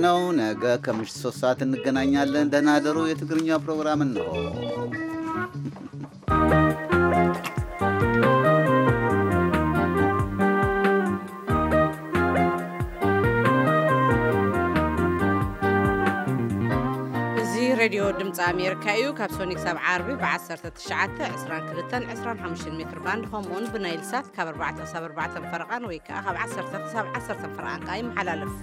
ነው። ነገ ከምሽቱ ሶስት ሰዓት እንገናኛለን። ደህና ደሩ። የትግርኛ ፕሮግራም እንሆ። እዚ ሬድዮ ድምፂ ኣሜሪካ እዩ። ካብ ሶኒክ ሳብ ዓርቢ ብ19፣ 22፣ 25 ሜትር ባንድ፣ ከምኡውን ብናይል ሳት ካብ ኣርባዕተ ክሳብ ኣርባዕተ ፈረቓን ወይ ከዓ ካብ ዓሰርተ ክሳብ ዓሰርተ ፈረቓን ከዓ ይመሓላለፍ።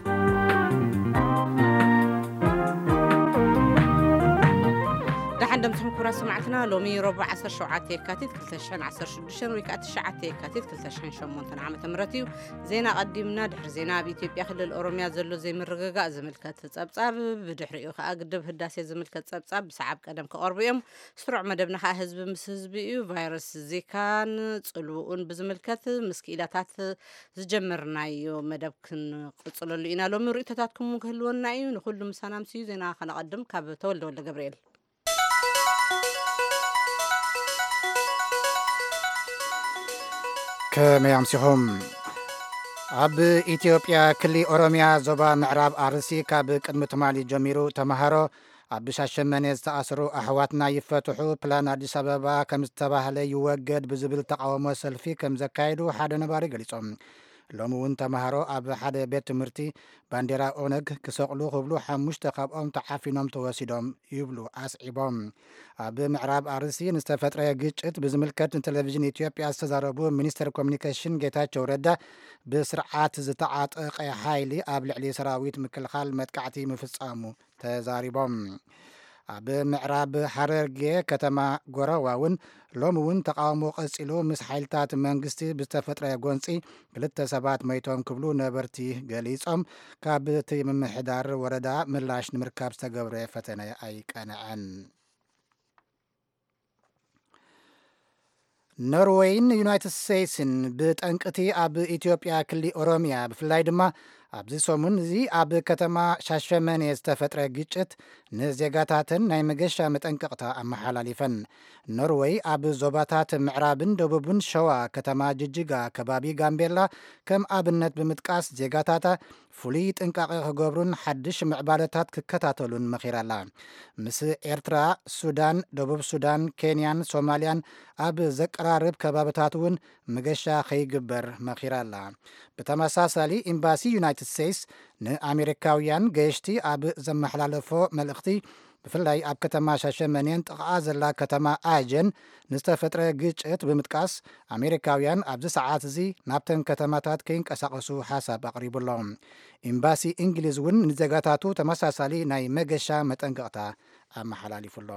ደሓን ደምስኩም ክቡራት ሰማዕትና፣ ሎሚ ረቡዕ ዓሰርተ ሸውዓተ የካቲት ክልተ ሽሕን ዓሰርተ ሽዱሽተን ወይ ከዓ ትሽዓተ የካቲት ክልተ ሽሕን ሸሞንተን ዓመተ ምህረት እዩ። ዜና ቀዲምና። ድሕሪ ዜና፣ ኣብ ኢትዮጵያ ክልል ኦሮሚያ ዘሎ ዘይምርግጋእ ዝምልከት ጸብጻብ፣ ብድሕሪኡ ከዓ ግድብ ህዳሴ ዝምልከት ጸብጻብ ብሰዓብ ቀደም ክቐርቡ እዮም። ስሩዕ መደብና ከዓ ህዝቢ ምስ ህዝቢ እዩ። ቫይረስ ዚካን ጽልውኡን ብዝምልከት ምስ ክኢላታት ዝጀመርናዮ መደብ ክንቕጽለሉ ኢና። ሎሚ ርእይቶታትኩም ክህልወና እዩ። ንኹሉ ምሳና ምስ እዩ። ዜና ከነቐድም ካብ ተወልደ ወልደ ገብርኤል። ከመይ ኣምሲኹም? ኣብ ኢትዮጵያ ክሊ ኦሮሚያ ዞባ ምዕራብ ኣርሲ ካብ ቅድሚ ትማሊ ጀሚሩ ተምሃሮ ኣብ ሻሸመኔ ዝተኣስሩ ኣሕዋትና ይፈትሑ፣ ፕላን ኣዲስ ኣበባ ከም ዝተባህለ ይወገድ ብዝብል ተቃውሞ ሰልፊ ከም ዘካየዱ ሓደ ነባሪ ገሊጾም። ሎሚ እውን ተምሃሮ ኣብ ሓደ ቤት ትምህርቲ ባንዴራ ኦነግ ክሰቕሉ ክብሉ ሓሙሽተ ካብኦም ተዓፊኖም ተወሲዶም ይብሉ ኣስዒቦም። ኣብ ምዕራብ ኣርሲ ንዝተፈጥረ ግጭት ብዝምልከት ንቴሌቪዥን ኢትዮጵያ ዝተዛረቡ ሚኒስትር ኮሚኒኬሽን ጌታቸው ረዳ፣ ብስርዓት ዝተዓጠቐ ሓይሊ ኣብ ልዕሊ ሰራዊት ምክልኻል መጥቃዕቲ ምፍጻሙ ተዛሪቦም። ኣብ ምዕራብ ሓረርጌ ከተማ ጎረዋ እውን ሎሚ እውን ተቃውሞ ቀጺሉ፣ ምስ ሓይልታት መንግስቲ ብዝተፈጥረ ጎንጺ ክልተ ሰባት መይቶም ክብሉ ነበርቲ ገሊጾም። ካብ እቲ ምምሕዳር ወረዳ ምላሽ ንምርካብ ዝተገብረ ፈተነ ኣይቀንዐን። ኖርወይን ዩናይትድ ስቴትስን ብጠንቅቲ ኣብ ኢትዮጵያ ክሊ ኦሮሚያ፣ ብፍላይ ድማ ኣብዚ ሰሙን እዚ ኣብ ከተማ ሻሸመኔ ዝተፈጥረ ግጭት ንዜጋታተን ናይ መገሻ መጠንቀቕታ ኣመሓላሊፈን። ኖርወይ ኣብ ዞባታት ምዕራብን ደቡብን ሸዋ፣ ከተማ ጅጅጋ፣ ከባቢ ጋምቤላ ከም ኣብነት ብምጥቃስ፣ ዜጋታታ ፍሉይ ጥንቃቐ ክገብሩን ሓድሽ ምዕባለታት ክከታተሉን መኺራ'ላ። ምስ ኤርትራ፣ ሱዳን፣ ደቡብ ሱዳን፣ ኬንያን ሶማልያን ኣብ ዘቀራርብ ከባብታት እውን መገሻ ከይግበር መኺራ'ላ። ብተመሳሳሊ፣ ኤምባሲ ዩናይትድ ስቴትስ ንኣሜሪካውያን ገየሽቲ ኣብ ዘመሓላለፎ መልእኽቲ፣ ብፍላይ ኣብ ከተማ ሻሸመኔን ጥቓኣ ዘላ ከተማ ኣጀን ንዝተፈጥረ ግጭት ብምጥቃስ፣ ኣሜሪካውያን ኣብዚ ሰዓት እዚ ናብተን ከተማታት ከይንቀሳቐሱ ሓሳብ ኣቕሪቡ ኣሎ። ኤምባሲ እንግሊዝ እውን ንዜጋታቱ ተመሳሳሊ ናይ መገሻ መጠንቀቕታ ኣመሓላሊፉ ኣሎ።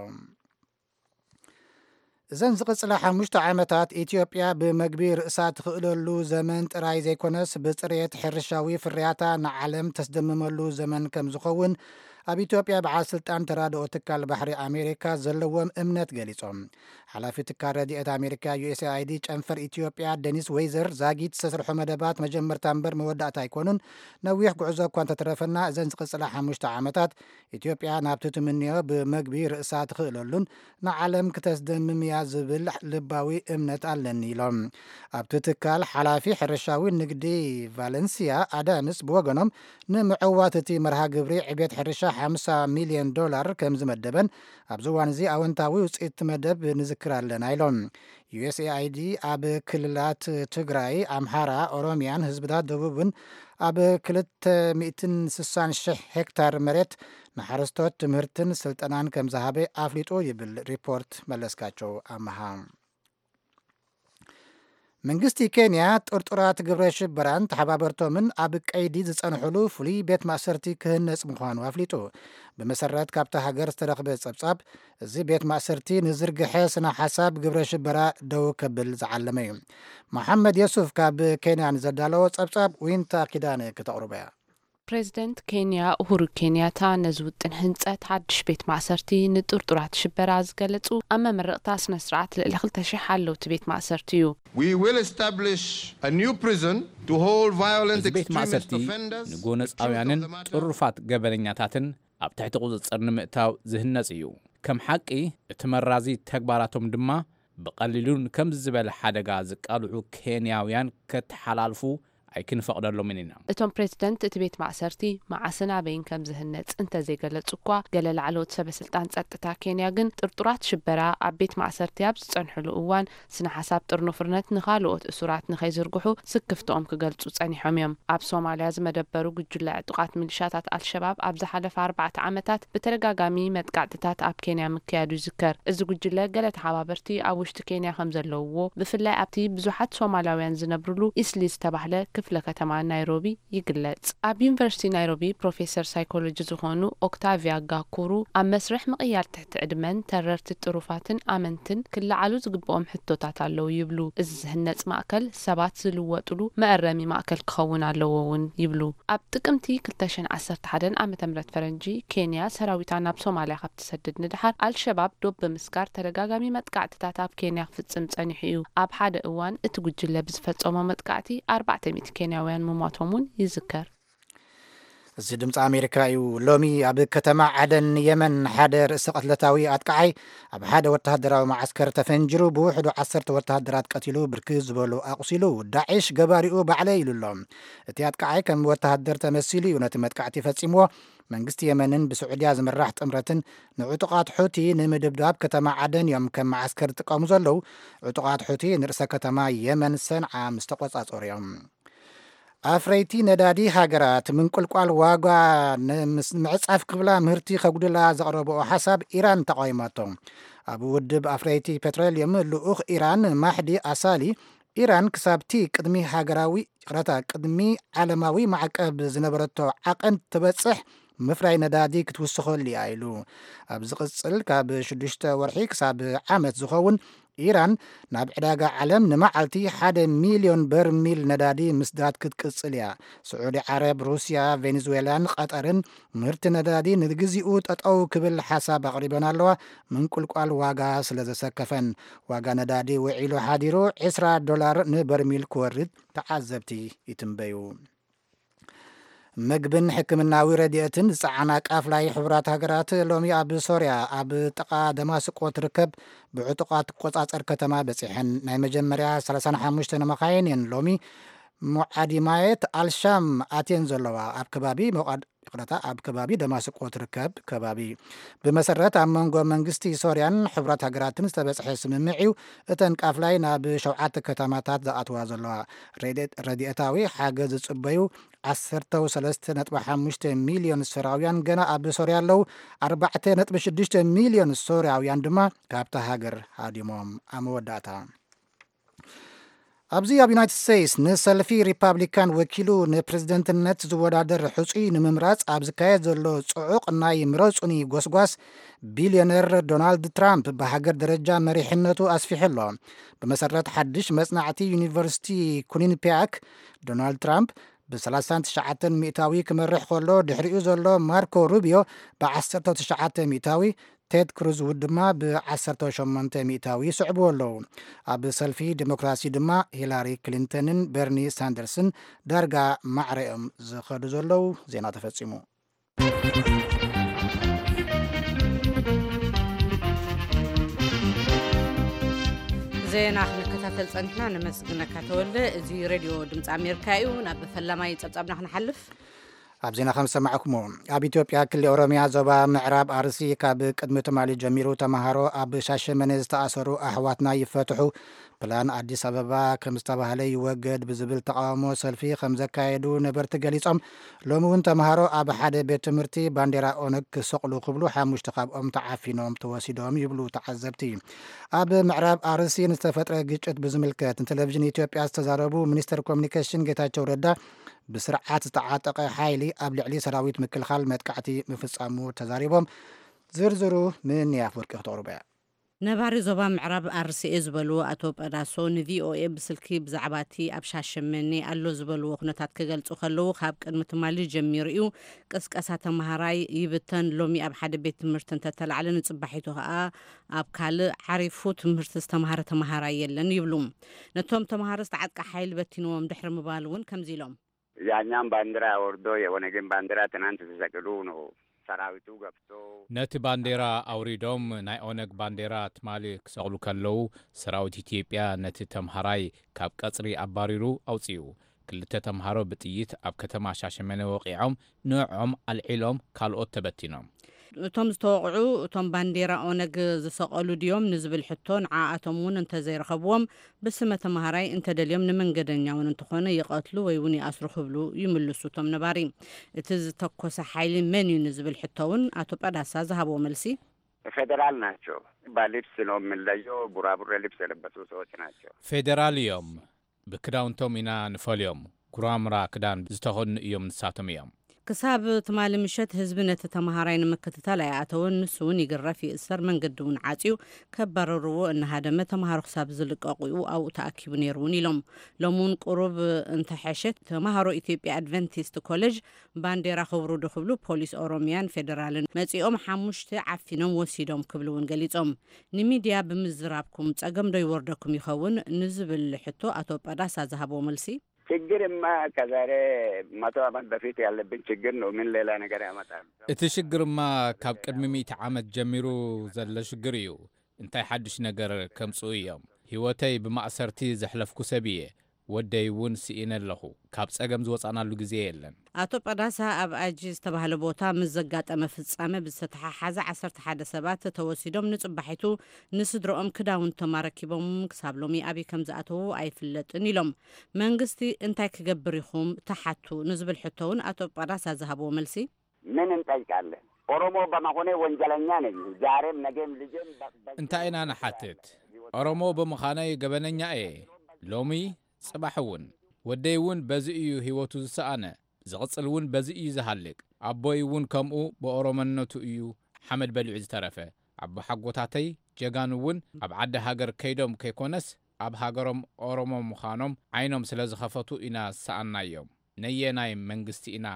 እዘን ዝቕጽላ ሓሙሽተ ዓመታት፣ ኢትዮጵያ ብመግቢ ርእሳ ትኽእለሉ ዘመን ጥራይ ዘይኮነስ፣ ብጽሬት ሕርሻዊ ፍርያታ ንዓለም ተስደምመሉ ዘመን ከም ዝኸውን ኣብ ኢትዮጵያ በዓል ስልጣን ተራድኦ ትካል ባሕሪ ኣሜሪካ ዘለዎም እምነት ገሊጾም። ሓላፊ ትካል ረድኤት ኣሜሪካ፣ ዩ ኤስ ኤ ኣይ ዲ፣ ጨንፈር ኢትዮጵያ፣ ደኒስ ዌይዘር፣ ዛጊት ዝተሰርሑ መደባት መጀመርታ እምበር መወዳእታ ኣይኮኑን። ነዊሕ ጉዕዞ እኳ እንተተረፈና፣ እዘን ዝቕጽላ ሓሙሽተ ዓመታት ኢትዮጵያ ናብቲ ትምንዮ ብመግቢ ርእሳ ትኽእለሉን ንዓለም ክተስደምም እያ ዝብል ልባዊ እምነት ኣለኒ፣ ኢሎም። ኣብቲ ትካል ሓላፊ ሕርሻዊ ንግዲ ቫለንሲያ ኣዳምስ ብወገኖም፣ ንምዕዋት እቲ መርሃ ግብሪ ዕቤት ሕርሻ ሓምሳ ሚልዮን ዶላር ከም ዝመደበን፣ ኣብዚ እዋን እዚ ኣወንታዊ ውፅኢት መደብ ንዝክር ኣለና፣ ኢሎም። ዩ ኤስ ኤ ኣይ ዲ ኣብ ክልላት ትግራይ፣ ኣምሓራ፣ ኦሮሚያን ህዝብታት ደቡብን ኣብ ክልተ ሚእትን ስሳን ሽሕ ሄክታር መሬት ንሓረስቶት ትምህርትን ስልጠናን ከም ዝሃበ ኣፍሊጡ፣ ይብል ሪፖርት መለስካቸው ኣመሃ። መንግስቲ ኬንያ ጥርጡራት ግብረ ሽበራን ተሓባበርቶምን ኣብ ቀይዲ ዝጸንሕሉ ፍሉይ ቤት ማእሰርቲ ክህነጽ ምዃኑ ኣፍሊጡ። ብመሰረት ካብታ ሃገር ዝተረኽበ ጸብጻብ፣ እዚ ቤት ማእሰርቲ ንዝርግሐ ስነ ሓሳብ ግብረ ሽበራ ደው ከብል ዝዓለመ እዩ። መሓመድ የሱፍ ካብ ኬንያ ንዘዳለዎ ጸብጻብ ዊንታ ኪዳነ ክተቕርቦ እያ። ፕሬዚደንት ኬንያ ኡሁሩ ኬንያታ ነዚ ውጥን ህንጸት ሓድሽ ቤት ማእሰርቲ ንጥርጡራት ሽበራ ዝገለጹ ኣብ መመረቕታ ስነ ስርዓት ልዕሊ ክልተ ሽሕ ሓለውቲ ቤት ማእሰርቲ እዩ። We will establish a new prison to hold violent እዚ ቤት extremist ማእሰርቲ offenders ንጎነጻውያንን accused of the matter. ጥሩፋት ገበነኛታትን ኣብ ትሕቲ ቁጽጽር ንምእታው ዝህነጽ እዩ። ከም ሓቂ፣ እቲ መራዚ ተግባራቶም ድማ ብቐሊሉን ከምዚ ዝበለ ሓደጋ ዝቃልዑ ኬንያውያን ከተሓላልፉ ኣይክንፈቕደሎምን ኢና። እቶም ፕሬዝደንት እቲ ቤት ማእሰርቲ መዓስን ኣበይን ከም ዝህነጽ እንተዘይገለጹ እኳ፣ ገለ ላዕለዎት ሰበ ስልጣን ጸጥታ ኬንያ ግን ጥርጡራት ሽበራ ኣብ ቤት ማእሰርቲ ኣብ ዝጸንሕሉ እዋን፣ ስነ ሓሳብ ጥርኑፍርነት ንኻልኦት እሱራት ንኸይዝርግሑ ስክፍትኦም ክገልጹ ጸኒሖም እዮም። ኣብ ሶማልያ ዝመደበሩ ጉጅለ ዕጡቓት ሚሊሻታት ኣልሸባብ ኣብ ዝሓለፈ ኣርባዕተ ዓመታት ብተደጋጋሚ መጥቃዕትታት ኣብ ኬንያ ምክያዱ ይዝከር። እዚ ጉጅለ ገለ ተሓባበርቲ ኣብ ውሽጢ ኬንያ ከም ዘለውዎ፣ ብፍላይ ኣብቲ ብዙሓት ሶማላውያን ዝነብርሉ ኢስሊ ዝተባህለ ክፍለ ከተማ ናይሮቢ ይግለጽ። ኣብ ዩኒቨርሲቲ ናይሮቢ ፕሮፌሰር ሳይኮሎጂ ዝኾኑ ኦክታቪያ ጋኩሩ፣ ኣብ መስርሕ ምቕያር ትሕቲ ዕድመን ተረርቲ ጥሩፋትን ኣመንትን ክለዓሉ ዝግብኦም ሕቶታት ኣለዉ ይብሉ። እዚ ዝህነጽ ማእከል ሰባት ዝልወጥሉ መእረሚ ማእከል ክኸውን ኣለዎ እውን ይብሉ። ኣብ ጥቅምቲ ክልተ ሽሕን ዓሰርተ ሓደን ዓመተ ምህረት ፈረንጂ፣ ኬንያ ሰራዊታ ናብ ሶማልያ ካብ ትሰድድ ንድሓር፣ ኣልሸባብ ዶብ ብምስጋር ተደጋጋሚ መጥቃዕትታት ኣብ ኬንያ ክፍጽም ጸኒሑ እዩ። ኣብ ሓደ እዋን እቲ ጉጅለ ብዝፈጸሞ መጥቃዕቲ ኣርባዕተ ሚእቲ ኬንያውያን ምሟቶም እውን ይዝከር። እዚ ድምፂ ኣሜሪካ እዩ። ሎሚ ኣብ ከተማ ዓደን የመን ሓደ ርእሰ ቅትለታዊ ኣጥቃዓይ ኣብ ሓደ ወተሃደራዊ መዓስከር ተፈንጂሩ ብውሕዱ ዓሰርተ ወተሃደራት ቀቲሉ፣ ብርክት ዝበሉ ኣቑሲሉ። ዳዕሽ ገባሪኡ ባዕለይ ኢሉ ኣሎ። እቲ ኣጥቃዓይ ከም ወተሃደር ተመሲሉ እዩ ነቲ መጥቃዕቲ ፈጺምዎ። መንግስቲ የመንን ብስዑድያ ዝምራሕ ጥምረትን ንዕጡቓት ሑቲ ንምድብዳብ ከተማ ዓደን እዮም ከም መዓስከር ዝጥቀሙ ዘለዉ። ዕጡቓት ሑቲ ንርእሰ ከተማ የመን ሰንዓ ምስ ተቖጻጸሩ እዮም። ኣፍረይቲ ነዳዲ ሃገራት ምንቁልቋል ዋጋ ንምስ-፣ ምዕጻፍ ክብላ ምህርቲ ከጉድላ ዘቕረብኦ ሓሳብ ኢራን ተቓዊማቶ። ኣብ ውድብ ኣፍረይቲ ፔትሮልየም ልኡኽ ኢራን ማሕዲ ኣሳሊ፣ ኢራን ክሳብቲ ቅድሚ ሃገራዊ፣ ይቕረታ፣ ቅድሚ ዓለማዊ ማዕቀብ ዝነበረቶ ዓቐን ትበጽሕ ምፍራይ ነዳዲ ክትውስኸሉ እያ ኢሉ። ኣብ ዝቕጽል ካብ ሽዱሽተ ወርሒ ክሳብ ዓመት ዝኸውን ኢራን ናብ ዕዳጋ ዓለም ንመዓልቲ ሓደ ሚልዮን በርሚል ነዳዲ ምስዳድ ክትቅጽል እያ። ስዑዲ ዓረብ፣ ሩስያ፣ ቬኔዙዌላን ቀጠርን ምህርቲ ነዳዲ ንግዚኡ ጠጠው ክብል ሓሳብ ኣቕሪበን ኣለዋ፣ ምንቁልቋል ዋጋ ስለ ዘሰከፈን። ዋጋ ነዳዲ ውዒሉ ሓዲሩ ዕስራ ዶላር ንበርሚል ክወርድ ተዓዘብቲ ይትንበዩ። ምግብን ሕክምናዊ ረድኤትን ዝጸዓና ቃፍላይ ሕቡራት ሃገራት ሎሚ ኣብ ሶርያ ኣብ ጥቓ ደማስቆ ትርከብ ብዕጡቓት ትቆጻጸር ከተማ በጺሐን። ናይ መጀመርያ ሰላሳን ሓሙሽተን መኻይን እየን ሎሚ ሙዓዲማየት ኣልሻም ኣትየን ዘለዋ። ኣብ ከባቢ መቓድ-፣ ይቕረታ፣ ኣብ ከባቢ ደማስቆ ትርከብ ከባቢ። ብመሰረት ኣብ መንጎ መንግስቲ ሶርያን ሕቡራት ሃገራትን ዝተበጽሐ ስምምዕ እዩ እተን ቃፍላይ ናብ ሸውዓተ ከተማታት ዝኣትዋ ዘለዋ። ረድኤት-፣ ረድኤታዊ ሓገዝ ዝጽበዩ ዓሰርተ ሰለስተ ነጥቢ ሓሙሽተ ሚልዮን ሶርያውያን ገና ኣብ ሶርያ ኣለዉ። ኣርባዕተ ነጥቢ ሽዱሽተ ሚልዮን ሶርያውያን ድማ ካብታ ሃገር ሃዲሞም። ኣብ መወዳእታ፣ ኣብዚ ኣብ ዩናይትድ ስቴትስ ንሰልፊ ሪፓብሊካን ወኪሉ ንፕሬዝደንትነት ዝወዳደር ሕጹይ ንምምራጽ ኣብ ዝካየድ ዘሎ ጽዑቕ ናይ ምረጹኒ ጎስጓስ፣ ቢልዮነር ዶናልድ ትራምፕ ብሃገር ደረጃ መሪሕነቱ ኣስፊሑ ኣሎ። ብመሰረት ሓድሽ መጽናዕቲ ዩኒቨርሲቲ ኩኒንፒያክ፣ ዶናልድ ትራምፕ ብ ሰላሳን ትሽዓተን ሚእታዊ ክመርሕ ከሎ፣ ድሕሪኡ ዘሎ ማርኮ ሩቢዮ ብ ዓሰርተ ትሽዓተ ሚእታዊ፣ ቴድ ክሩዝ ድማ ብ ዓሰርተ ሸሞንተ ሚእታዊ ይስዕብዎ ኣለዉ። ኣብ ሰልፊ ዲሞክራሲ ድማ ሂላሪ ክሊንተንን በርኒ ሳንደርስን ዳርጋ ማዕረኦም ዝኸዱ ዘለዉ። ዜና ተፈጺሙ። ዜና ክንከታተል ጸኒሕና፣ ነመስግነካ ተወልደ። እዚ ሬድዮ ድምፂ ኣሜሪካ እዩ። ናብ ፈላማይ ጸብጻብና ክንሓልፍ። ኣብ ዜና ከም ዝሰማዕኩሞ፣ ኣብ ኢትዮጵያ ክልል ኦሮሚያ ዞባ ምዕራብ ኣርሲ ካብ ቅድሚ ትማሊ ጀሚሩ ተምሃሮ ኣብ ሻሸመኔ ዝተኣሰሩ ኣሕዋትና ይፈትሑ፣ ፕላን ኣዲስ ኣበባ ከም ዝተባህለ ይወገድ ብዝብል ተቃውሞ ሰልፊ ከም ዘካየዱ ነበርቲ ገሊጾም። ሎሚ እውን ተምሃሮ ኣብ ሓደ ቤት ትምህርቲ ባንዴራ ኦነግ ክሰቕሉ ክብሉ ሓሙሽተ ካብኦም ተዓፊኖም ተወሲዶም ይብሉ ተዓዘብቲ። ኣብ ምዕራብ ኣርሲ ንዝተፈጥረ ግጭት ብዝምልከት ንቴሌቪዥን ኢትዮጵያ ዝተዛረቡ ሚኒስትር ኮሚኒኬሽን ጌታቸው ረዳ፣ ብስርዓት ዝተዓጠቐ ሓይሊ ኣብ ልዕሊ ሰራዊት ምክልኻል መጥቃዕቲ ምፍጻሙ ተዛሪቦም። ዝርዝሩ ምንያ ኣፍወርቂ ክተቕርቦ እያ። ነባሪ ዞባ ምዕራብ ኣርሲኤ ዝበልዎ ኣቶ ጳዳሶ ንቪኦኤ ብስልኪ ብዛዕባ እቲ ኣብ ሻሸመኔ ኣሎ ዝበልዎ ኩነታት ክገልጹ ከለዉ፣ ካብ ቅድሚ ትማሊ ጀሚሩ እዩ ቅስቀሳ ተምሃራይ ይብተን። ሎሚ ኣብ ሓደ ቤት ትምህርቲ እንተተላዕለ፣ ንጽባሒቱ ከኣ ኣብ ካልእ ዓሪፉ ትምህርቲ ዝተምሃረ ተምሃራይ የለን ይብሉ። ነቶም ተምሃሮ ዝተዓጥቀ ሓይሊ በቲንዎም ድሕሪ ምባል እውን ከምዚ ኢሎም። ያኛም ባንዲራ ወርዶ የኦነግን ባንዲራ ትናንት ሲሰቅሉ ነው ሰራዊቱ ገብቶ። ነቲ ባንዴራ ኣውሪዶም ናይ ኦነግ ባንዴራ ትማሊ ክሰቕሉ ከለዉ፣ ሰራዊት ኢትዮጵያ ነቲ ተምሃራይ ካብ ቀጽሪ ኣባሪሩ ኣውጺኡ። ክልተ ተምሃሮ ብጥይት ኣብ ከተማ ሻሸመኔ ወቒዖም፣ ንዕኦም ኣልዒሎም ካልኦት ተበቲኖም። እቶም ዝተወቕዑ፣ እቶም ባንዴራ ኦነግ ዝሰቐሉ ድዮም ንዝብል ሕቶ፣ ንዓኣቶም እውን እንተዘይረኸብዎም፣ ብስመ ተምሃራይ እንተደልዮም ንመንገደኛ እውን እንተኾነ ይቐትሉ ወይ እውን ይኣስሩ ክብሉ ይምልሱ እቶም ነባሪ። እቲ ዝተኮሰ ሓይሊ መን እዩ ንዝብል ሕቶ እውን ኣቶ ጳዳሳ ዝሃብዎ መልሲ፣ ፌዴራል ናቸው። በልብስ ነው የምንለየው። ቡራቡሬ ልብስ የለበሱ ሰዎች ናቸው። ፌዴራል እዮም፣ ብክዳውንቶም ኢና ንፈልዮም። ጉራምራ ክዳን ዝተኸድኑ እዮም፣ ንሳቶም እዮም። ክሳብ ትማሊ ምሸት ህዝቢ ነቲ ተምሃራይ ንምክትታል ኣይኣተወን። ንሱ እውን ይግረፍ፣ ይእሰር፣ መንገዲ እውን ዓፅዩ ከባረርዎ እናሃደመ ተምሃሮ ክሳብ ዝልቀቑ ኣብኡ ተኣኪቡ ነይሩ እውን ኢሎም። ሎሚ እውን ቁሩብ እንተሐሸ ተምሃሮ ኢትዮጵያ ኣድቨንቲስት ኮሌጅ ባንዴራ ክብሩ ዶ ክብሉ ፖሊስ ኦሮሚያን ፌደራልን መፂኦም ሓሙሽተ ዓፊኖም ወሲዶም ክብሉ እውን ገሊፆም። ንሚድያ ብምዝራብኩም ፀገም ዶ ይወርደኩም ይኸውን ንዝብል ሕቶ ኣቶ ጳዳሳ ዝሃብዎ መልሲ፣ ችግርማ ከዛሬ መቶ ዓመት በፊት ያለብን ችግር ነው። ምን ሌላ ነገር ያመጣል? እቲ ሽግርማ ካብ ቅድሚ ሚእቲ ዓመት ጀሚሩ ዘሎ ሽግር እዩ። እንታይ ሓድሽ ነገር ከምጽኡ እዮም? ህይወተይ ብማእሰርቲ ዘሕለፍኩ ሰብ እየ። ወደይ እውን ስኢነ ኣለኹ። ካብ ጸገም ዝወጻናሉ ግዜ የለን። ኣቶ ጳዳሳ ኣብ ኣጂ ዝተባህለ ቦታ ምስ ዘጋጠመ ፍጻመ ብዝተተሓሓዘ ዓሰርተ ሓደ ሰባት ተወሲዶም ንጽባሒቱ ንስድረኦም ክዳውንቶም ኣረኪቦም ክሳብ ሎሚ ኣበይ ከም ዝኣተዉ ኣይፍለጥን ኢሎም። መንግስቲ እንታይ ክገብር ኢኹም ትሓቱ ንዝብል ሕቶ እውን ኣቶ ጳዳሳ ዝሃብዎ መልሲ፣ ምን እንጠይቃለን? ኦሮሞ በመሆኔ ወንጀለኛ ነኝ። ዛሬም ነገም ልጄም በ- በ- እንታይ ኢና ንሓትት? ኦሮሞ ብምዃነይ ገበነኛ እየ። ሎሚ ጽባሕ እውን ወደይ እውን በዚ እዩ ህይወቱ ዝሰኣነ። ዝቕጽል እውን በዚ እዩ ዝሃልቅ። ኣቦይ እውን ከምኡ ብኦሮሞነቱ እዩ ሓመድ በሊዑ ዝተረፈ። ኣቦሓጎታተይ ጀጋኑ እውን ኣብ ዓዲ ሃገር ከይዶም ከይኮነስ ኣብ ሃገሮም ኦሮሞ ምዃኖም ዓይኖም ስለ ዝኸፈቱ ኢና ዝሰኣናዮም። ነየናይ መንግስቲ ኢና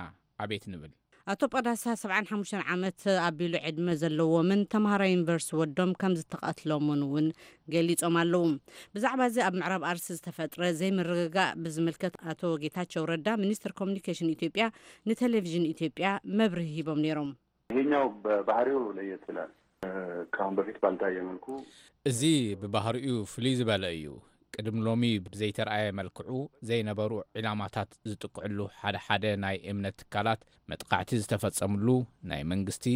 ኣቤት ንብል? ኣቶ ጳዳሳ ሰብዓን ሓሙሽተን ዓመት ኣቢሉ ዕድመ ዘለዎምን ተምሃራይ ዩኒቨርሲቲ ወዶም ከም ዝተቐትሎምን እውን ገሊጾም ኣለዉ። ብዛዕባ እዚ ኣብ ምዕራብ ኣርሲ ዝተፈጥረ ዘይምርግጋእ ብዝምልከት ኣቶ ጌታቸው ረዳ ሚኒስትር ኮሙኒኬሽን ኢትዮጵያ ንቴሌቪዥን ኢትዮጵያ መብርሂ ሂቦም ነይሮም። ይሄኛው በባህሪው ለየት ይላል። ከአሁን በፊት ባልታየ መልኩ እዚ ብባህሪኡ ፍልይ ዝበለ እዩ። ቅድሚ ሎሚ ብዘይተርኣየ መልክዑ ዘይነበሩ ዒላማታት ዝጥቅዕሉ ሓደ ሓደ ናይ እምነት ትካላት መጥቓዕቲ ዝተፈጸምሉ ናይ መንግስቲ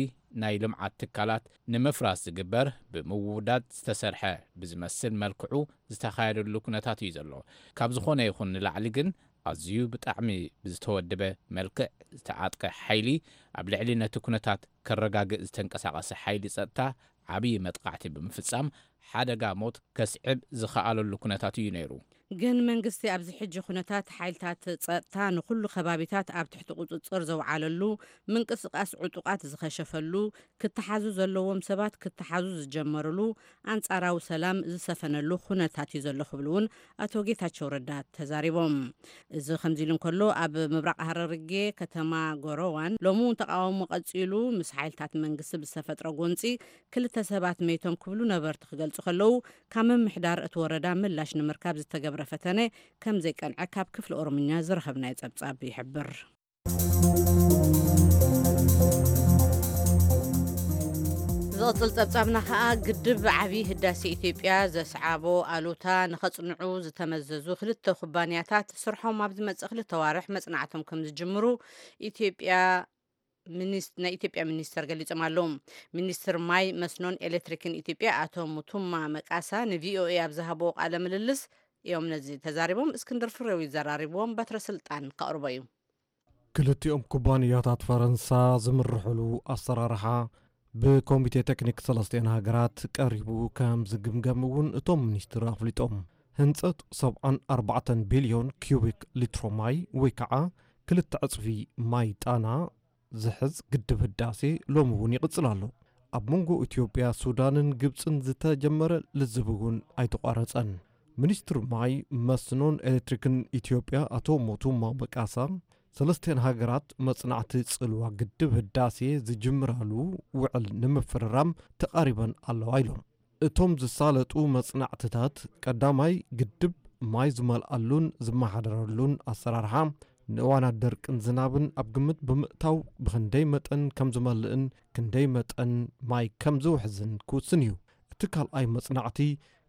ናይ ልምዓት ትካላት ንምፍራስ ዝግበር ብምውዳድ ዝተሰርሐ ብዝመስል መልክዑ ዝተኻየደሉ ኩነታት እዩ ዘሎ። ካብ ዝኾነ ይኹን ንላዕሊ ግን ኣዝዩ ብጣዕሚ ብዝተወደበ መልክዕ ዝተዓጥቀ ሓይሊ ኣብ ልዕሊ ነቲ ኩነታት ከረጋግእ ዝተንቀሳቐሰ ሓይሊ ጸጥታ ዓብዪ መጥቓዕቲ ብምፍጻም ሓደጋ ሞት ከስዕብ ዝኸኣለሉ ኩነታት እዩ ነይሩ። ግን መንግስቲ ኣብዚ ሕጂ ኩነታት ሓይልታት ጸጥታ ንኹሉ ከባቢታት ኣብ ትሕቲ ቁጽጽር ዘውዓለሉ፣ ምንቅስቓስ ዕጡቓት ዝኸሸፈሉ፣ ክተሓዙ ዘለዎም ሰባት ክተሓዙ ዝጀመርሉ፣ ኣንጻራዊ ሰላም ዝሰፈነሉ ኩነታት እዩ ዘሎ ክብሉ እውን ኣቶ ጌታቸው ረዳ ተዛሪቦም። እዚ ከምዚ ኢሉ እንከሎ ኣብ ምብራቕ ሃረርጌ ከተማ ጎረዋን ሎሚ እውን ተቃውሞ ቀጺሉ ምስ ሓይልታት መንግስቲ ብዝተፈጥረ ጎንጺ ክልተ ሰባት መይቶም ክብሉ ነበርቲ ክገልጹ ከለዉ ካብ ምምሕዳር እቲ ወረዳ ምላሽ ንምርካብ ዝተገብረ ፈተነ ከም ዘይቀንዐ ካብ ክፍሊ ኦሮምኛ ዝረኸብናዮ ጸብጻብ ይሕብር። ዝቕጽል ጸብጻብና ከኣ ግድብ ዓቢ ህዳሴ ኢትዮጵያ ዘስዓቦ ኣሉታ ንኸጽንዑ ዝተመዘዙ ክልተ ኩባንያታት ስርሖም ኣብ ዝመጽእ ክልተ ዋርሕ መጽናዕቶም ከም ዝጅምሩ ኢትዮጵያ ናይ ኢትዮጵያ ሚኒስተር ገሊጾም ኣለዉ። ሚኒስትር ማይ መስኖን ኤሌክትሪክን ኢትዮጵያ ኣቶ ሙቱማ መቃሳ ንቪኦኤ ኣብ ዝሃብዎ ቃለ ምልልስ እዮም ነዚ ተዛሪቦም። እስክንድር ፍሬው ይዘራርብዎም። በትረ ስልጣን ከቕርቦ እዩ። ክልቲኦም ኩባንያታት ፈረንሳ ዝምርሕሉ ኣሰራርሓ ብኮሚቴ ቴክኒክ ሰለስቲኤን ሃገራት ቀሪቡ ከም ዝግምገም እውን እቶም ሚኒስትር ኣፍሊጦም። ህንፀት ሰብዓን ኣርባዕተን ቢልዮን ኪዩቢክ ሊትሮ ማይ ወይ ከዓ ክልተ ዕፅፊ ማይ ጣና ዝሕዝ ግድብ ህዳሴ ሎሚ እውን ይቕፅል ኣሎ። ኣብ መንጎ ኢትዮጵያ፣ ሱዳንን ግብፅን ዝተጀመረ ልዝብ እውን ኣይተቋረፀን። ሚኒስትር ማይ መስኖን ኤሌክትሪክን ኢትዮጵያ ኣቶ ሞቱማ መቃሳ ሰለስቲኤን ሃገራት መጽናዕቲ ጽልዋ ግድብ ህዳሴ ዝጅምራሉ ውዕል ንምፍርራም ተቓሪበን ኣለዋ ኢሎም። እቶም ዝሳለጡ መጽናዕትታት ቀዳማይ ግድብ ማይ ዝመልኣሉን ዝመሓደረሉን ኣሰራርሓ፣ ንእዋናት ደርቅን ዝናብን ኣብ ግምት ብምእታው ብኽንደይ መጠን ከም ዝመልእን ክንደይ መጠን ማይ ከም ዝውሕዝን ክውስን እዩ። እቲ ካልኣይ መጽናዕቲ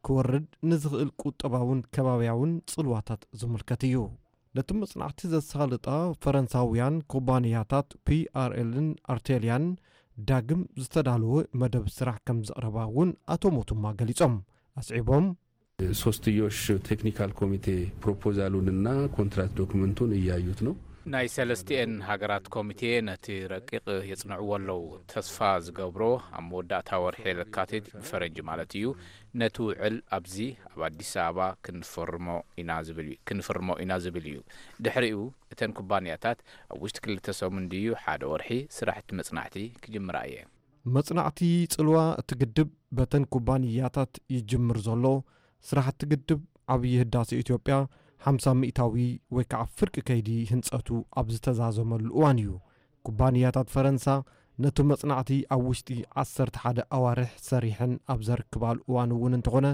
ክወርድ ንዝኽእል ቁጠባውን ከባብያውን ጽልዋታት ዝምልከት እዩ። ነቲ መጽናዕቲ ዘሳልጣ ፈረንሳውያን ኩባንያታት ፒ ኣር ኤልን ኣርቴልያን ዳግም ዝተዳለወ መደብ ስራሕ ከም ዘቕረባ እውን ኣቶ ሞቱማ ገሊጾም። ኣስዒቦም፣ ሶስትዮሽ ቴክኒካል ኮሚቴ ፕሮፖዛሉንና ኮንትራት ዶክመንቱን እያዩት ነው። ናይ ሰለስቲኤን ሃገራት ኮሚቴ ነቲ ረቂቕ የጽንዕዎ ኣለዉ። ተስፋ ዝገብሮ ኣብ መወዳእታ ወርሒ ለካቲት፣ ብፈረንጂ ማለት እዩ፣ ነቲ ውዕል ኣብዚ ኣብ ኣዲስ ኣበባ ክንፈርሞ ኢና ዝብል እዩ ክንፍርሞ ኢና ዝብል እዩ። ድሕሪኡ እተን ኩባንያታት ኣብ ውሽጢ ክልተ ሰሙን ድዩ ሓደ ወርሒ ስራሕቲ መጽናዕቲ ክጅምራ እየን። መጽናዕቲ ጽልዋ እቲ ግድብ በተን ኩባንያታት ይጅምር ዘሎ። ስራሕቲ ግድብ ዓብዪ ህዳሴ ኢትዮጵያ ሓምሳ ሚእታዊ ወይ ከዓ ፍርቂ ከይዲ ህንጸቱ ኣብ ዝተዛዘመሉ እዋን እዩ። ኩባንያታት ፈረንሳ ነቲ መጽናዕቲ ኣብ ውሽጢ ዓሰርተ ሓደ ኣዋርሕ ሰሪሐን ኣብ ዘርክባሉ እዋን እውን እንተኾነ፣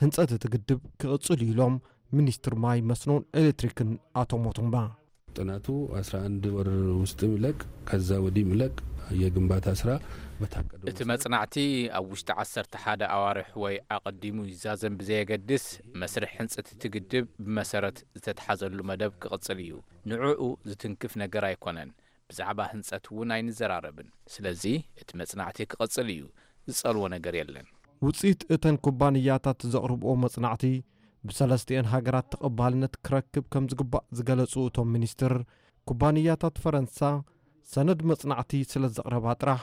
ህንጸት እቲ ግድብ ክቕጽል እዩ ኢሎም ሚኒስትር ማይ፣ መስኖን ኤሌክትሪክን ኣቶ ሞቱማ። ጥናቱ አስራ አንድ ወር ውስጥ ይለቅ፣ ከዛ ወዲህ ይለቅ። የግንባታ ስራ በታቀደው እቲ መጽናዕቲ ኣብ ውሽጢ ዓሰርተ ሓደ ኣዋርሕ ወይ ኣቐዲሙ ይዛዘም ብዘየገድስ፣ መስርሕ ህንጸት እቲ ግድብ ብመሰረት ዝተትሓዘሉ መደብ ክቕጽል እዩ። ንዕኡ ዝትንክፍ ነገር ኣይኮነን። ብዛዕባ ህንጸት እውን ኣይንዘራረብን። ስለዚ እቲ መጽናዕቲ ክቕጽል እዩ። ዝጸልዎ ነገር የለን። ውፅኢት እተን ኩባንያታት ዘቕርብኦ መጽናዕቲ ብሰለስቲኤን ሃገራት ተቐባልነት ክረክብ ከም ዝግባእ ዝገለጹ እቶም ሚኒስትር፣ ኩባንያታት ፈረንሳ ሰነድ መጽናዕቲ ስለ ዘቕረባ ጥራሕ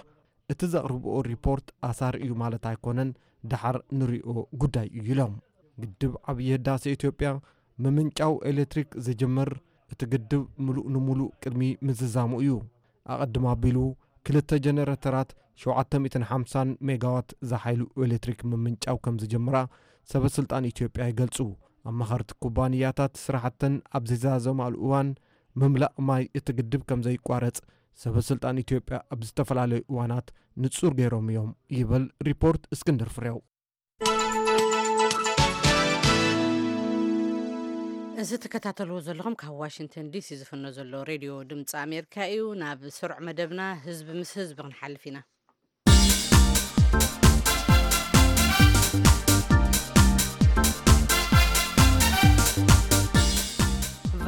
እቲ ዘቕርብኦ ሪፖርት ኣሳሪ እዩ ማለት ኣይኮነን፣ ደሓር ንሪኦ ጉዳይ እዩ ኢሎም። ግድብ ዓብዪ ህዳሴ ኢትዮጵያ ምምንጫው ኤሌክትሪክ ዝጅምር እቲ ግድብ ምሉእ ንምሉእ ቅድሚ ምዝዛሙ እዩ። ኣቐድም ኣቢሉ ክልተ ጀነሬተራት ሸውዓተ ሚእትን ሓምሳን ሜጋዋት ዝሓይሉ ኤሌክትሪክ ምምንጫው ከም ዝጀምራ ሰበ ስልጣን ኢትዮጵያ ይገልጹ። ኣማኸርቲ ኩባንያታት ስራሕተን ኣብ ዝዛዘማሉ እዋን ምምላእ ማይ እቲ ግድብ ከም ዘይቋረጽ ሰበ ስልጣን ኢትዮጵያ ኣብ ዝተፈላለዩ እዋናት ንጹር ገይሮም እዮም ይብል ሪፖርት እስክንድር ፍሬው። እዚ ትከታተልዎ ዘለኹም ካብ ዋሽንግተን ዲሲ ዝፍኖ ዘሎ ሬድዮ ድምፂ ኣሜሪካ እዩ። ናብ ስሩዕ መደብና ህዝቢ ምስ ህዝቢ ክንሓልፍ ኢና።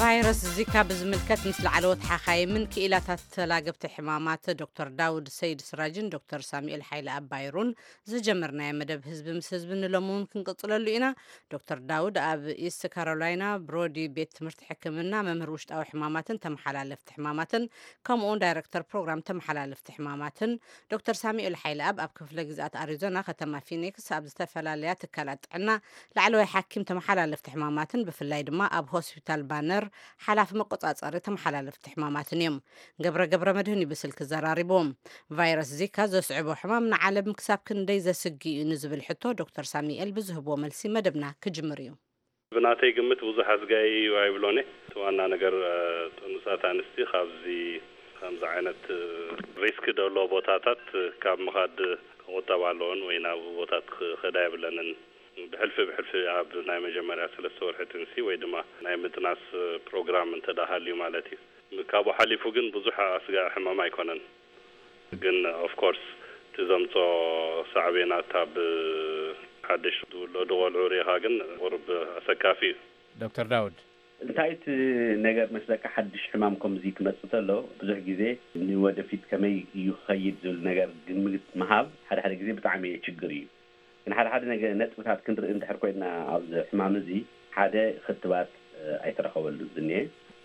ቫይረስ ዚካ ብዝምልከት ምስ ላዕለዎት ሓኻይምን ክኢላታት ተላገብቲ ሕማማት ዶክተር ዳውድ ሰይድ ስራጅን ዶክተር ሳሙኤል ሓይለ ኣባይሩን ዝጀመርናዮ መደብ ህዝቢ ምስ ህዝቢ ንሎሚ እውን ክንቅጽለሉ ኢና። ዶክተር ዳውድ ኣብ ኢስት ካሮላይና ብሮዲ ቤት ትምህርቲ ሕክምና መምህር ውሽጣዊ ሕማማትን ተመሓላለፍቲ ሕማማትን ከምኡውን ዳይረክተር ፕሮግራም ተመሓላለፍቲ ሕማማትን፣ ዶክተር ሳሙኤል ሓይለኣብ ኣብ ክፍለ ግዝኣት ኣሪዞና ከተማ ፊኒክስ ኣብ ዝተፈላለያ ትካላት ጥዕና ላዕለዋይ ሓኪም ተመሓላለፍቲ ሕማማትን ብፍላይ ድማ ኣብ ሆስፒታል ባነር ሓላፊ መቆጻጸሪ ተመሓላለፍቲ ሕማማትን እዮም። ገብረ ገብረ መድህን እዩ ብስልኪ ዘራሪብዎም። ቫይረስ ዚካ ዘስዕቦ ሕማም ንዓለም ክሳብ ክንደይ ዘስግእ እዩ ንዝብል ሕቶ ዶክተር ሳሙኤል ብዝህብዎ መልሲ መደብና ክጅምር እዩ። ብናተይ ግምት ብዙሕ ኣስጋኢ እዩ ኣይብሎን እየ። እቲ ዋና ነገር፣ እ፣ ጥኑሳት ኣንስቲ ካብዚ ከምዚ ዓይነት፣ እ፣ ሪስክ ደሎ ቦታታት ካብ ምኻድ ክቑጠባ ኣለዎን ወይ ናብ ቦታት ክኸዳ የብለንን። ብሕልፊ ብሕልፊ ኣብ ናይ መጀመርያ ሰለስተ ወርሒ ጥንሲ ወይ ድማ ናይ ምጥናስ፣ እ፣ ፕሮግራም እንተ ደኣ ሃልዩ ማለት እዩ። ካብኡ ሓሊፉ ግን ብዙሕ ኣስጋኢ ሕማም ኣይኮነን። ግን ኦፍ ኮርስ እቲ ዘምጾ ሳዕቤናት ኣብ ሓድሽ ዝውለዱ ቆልዑ ሪኢኻ ግን ቁሩብ ኣሰካፊ እዩ። ዶክተር ዳውድ። እንታይ እቲ ነገር መስለካ፣ ሓድሽ ሕማም ከምዚ ክመጽእ ተሎ ብዙሕ ግዜ ንወደፊት ከመይ እዩ ክኸይድ ዝብል ነገር ግምት ምሃብ ሓደ ሓደ ግዜ ብጣዕሚ ችግር እዩ። ግን ሓደ ሓደ ነገ ነጥብታት ክንርኢ እንድሕር ኮይና ኣብዚ ሕማም እዚ ሓደ ክትባት፣ እ፣ ኣይተረኸበሉ ዝኒኤ፣